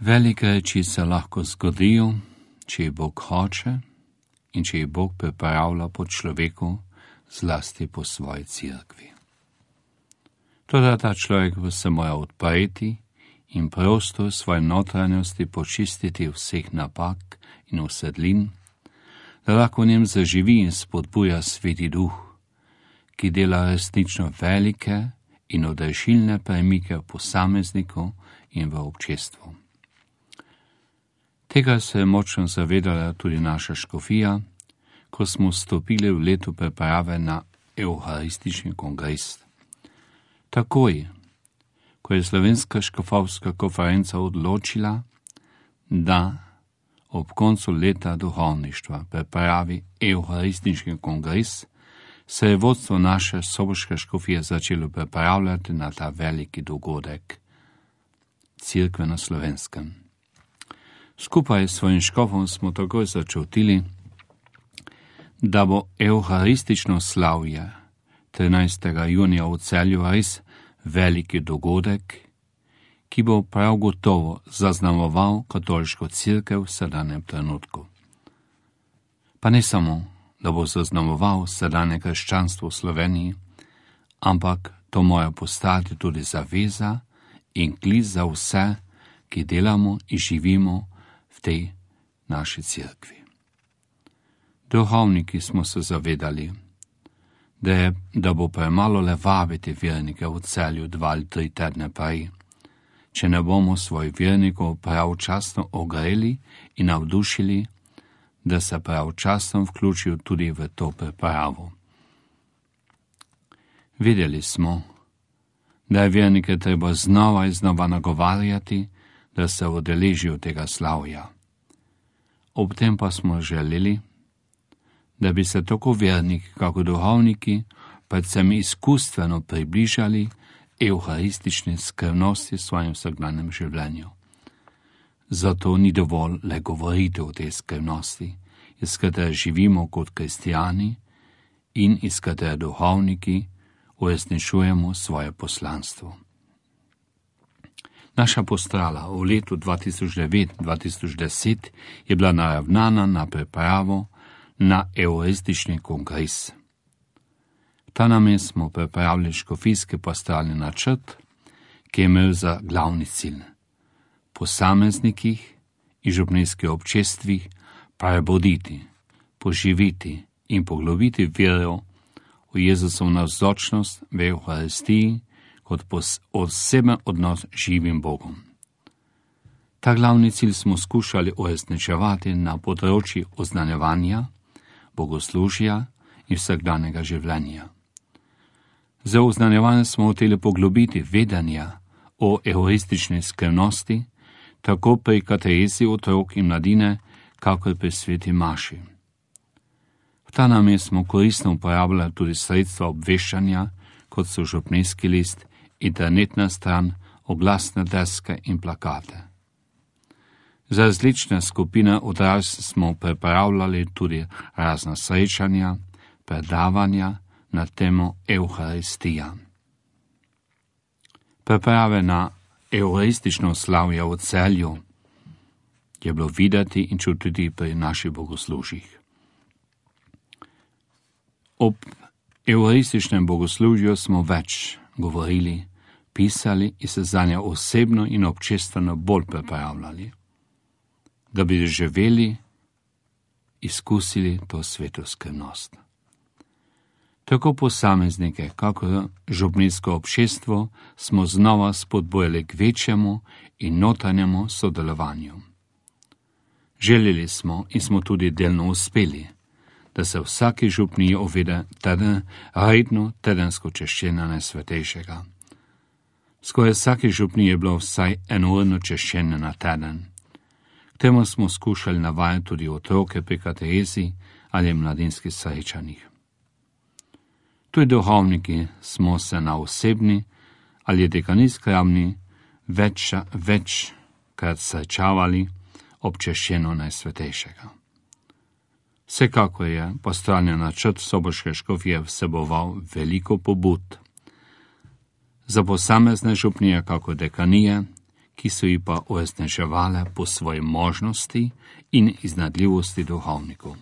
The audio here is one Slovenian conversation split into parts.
Velike reči se lahko zgodijo, če jih Bog hoče in če jih Bog pripravlja po človeku, zlasti po svoji cerkvi. Toda ta človek se mora odpreti in prostor svoje notranjosti počistiti vseh napak in usedlin, da lahko v njem zaživi in spodbuja Sveti Duh, ki dela resnično velike in odrešilne premike v posamezniku in v občestvu. Tega se je močno zavedala tudi naša škofija, ko smo vstopili v leto priprave na Evharistični kongres. Takoj, ko je Slovenska škofovska konferenca odločila, da ob koncu leta duhovništva pripravi Evharistični kongres, se je vodstvo naše soboške škofije začelo pripravljati na ta veliki dogodek Cerkve na Slovenskem. Skupaj s svojim škofom smo takoj začutili, da bo evharistično slavje 13. junija v Celju res veliki dogodek, ki bo prav gotovo zaznamoval katoliško cerkev v sedanjem trenutku. Pa ne samo, da bo zaznamoval sedanje krščanstvo v Sloveniji, ampak to mora postati tudi zaveza in klic za vse, ki delamo in živimo v tej naši cerkvi. Duhovniki smo se zavedali, da bo premalo le vabiti vernike v Celju 2 ali 3 tedne prej, če ne bomo svoj vernikov pravčasno ogreli in navdušili, da se pravčasno vključijo tudi v to pripravo. Videli smo, da je vernike treba znova in znova nagovarjati, da se udeležijo tega slavja. Ob tem pa smo želeli, da bi se tako verniki, kako duhovniki, predvsem izkustveno približali evharistični skrivnosti v svojem vsakdanjem življenju. Zato ni dovolj le govoriti o tej skrivnosti, iz katere živimo kot kristijani in iz katere duhovniki uresničujemo svoje poslanstvo. Naša postrala v letu 2009-2010 je bila naravnana na pripravo na evharistični kongres. Ta namen smo pripravili škofijski pastoralni načrt, ki je imel za glavni cilj posameznikih in župnijskih občestvih prebuditi, poživiti in poglobiti vero v Jezusovo navzočnost v Evharistiji kot oseben odnos z živim Bogom. Ta glavni cilj smo skušali uresničevati na področju oznanjevanja, bogoslužja in vsakdanjega življenja. Za oznanjevanje smo hoteli poglobiti vedenja o evharistični skrivnosti, tako pri katehezi otrok in mladine, kakor pri sveti maši. V ta namen smo koristno uporabljali tudi sredstva obveščanja, kot so župnijski list, internetna stran, oglasne deske in plakate. Za različne skupine odraslih smo pripravljali tudi razna srečanja, predavanja na temo Evharistija. Priprave na evharistično slavje v Celju je bilo videti in čutiti pri naših bogoslužjih. Ob evharističnem bogoslužju smo več govorili, pisali in se zanje osebno in občestveno bolj pripravljali, da bi doživeli, izkusili to sveto skrivnost. Tako posameznike, kako župnijsko občestvo, smo znova spodbujali k večjemu in notranjemu sodelovanju. Želeli smo in smo tudi delno uspeli, da se vsaki župniji uvede redno tedensko češčenje Najsvetejšega. Skoraj vsaki župniji je bilo vsaj enourno češčenje na teden. K temu smo skušali navajati tudi otroke pri katehezi ali mladinskih srečanjih. Tudi duhovniki smo se na osebni ali dekanijski ravni večkrat srečavali ob češčenju Najsvetejšega. Vsekakor je pastoralni načrt soboške škofije vseboval veliko pobud. Za posamezne župnije, kako dekanije, ki so ji pa uresničevale po svoji možnosti in iznadljivosti duhovnikov.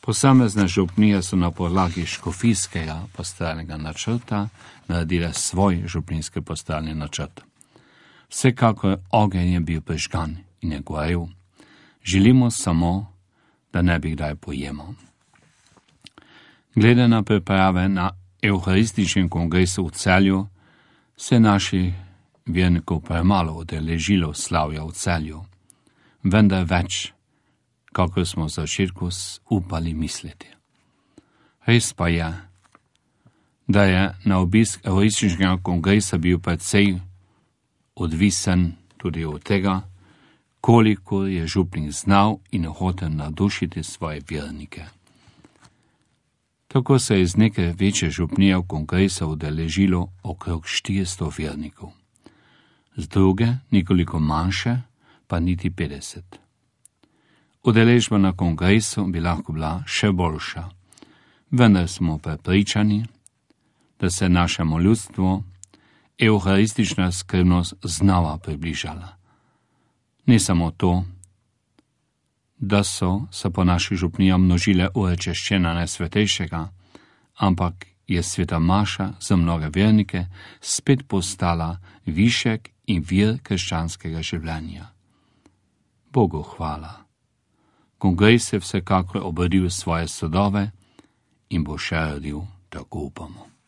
Posamezne župnije so na podlagi škofijskega pastoralnega načrta naredile svoj župnijski pastoralni načrt. Vsekakor ogenj je bil prižgan in je gorel. Želimo samo, da ne bi kdaj pojemal. Glede na priprave na Evharističnem kongresu v Celju se naši vernikov premalo udeležilo slavja v Celju, vendar več, kako smo v začetku upali misliti. Res pa je, da je na obisk Evharističnega kongresa bil precej odvisen tudi od tega, koliko je župnik znal in hotel nadušiti svoje vernike. Tako se je iz neke večje župnije kongresa udeležilo okrog 400 vernikov. Z druge, nekoliko manjše, pa niti 50. Udeležba na kongresu bi lahko bila še boljša, vendar smo prepričani, da se našemu ljudstvu evharistična skrbnost znova približala. Ne samo to, da so se po naših župnijah množile ure češčenja Najsvetejšega, ampak je sveta maša za mnoge vernike spet postala višek in vir krščanskega življenja. Bogu hvala. Kongres je vsekakor obrodil svoje sadove in bo še rodil, tako upamo.